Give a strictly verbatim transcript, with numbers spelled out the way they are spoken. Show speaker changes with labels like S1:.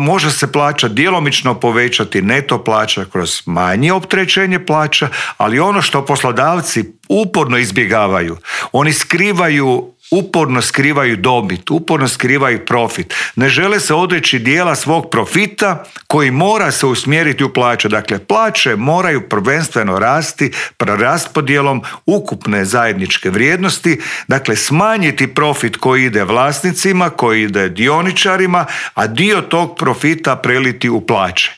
S1: Može se plaća djelomično povećati neto plaća kroz manje opterećenje plaća, ali ono što poslodavci uporno izbjegavaju, oni skrivaju uporno skrivaju dobit, uporno skrivaju profit. Ne žele se odreći dijela svog profita koji mora se usmjeriti u plaće. Dakle, plaće moraju prvenstveno rasti preraspodjelom ukupne zajedničke vrijednosti, dakle smanjiti profit koji ide vlasnicima, koji ide dioničarima, a dio tog profita preliti u plaće.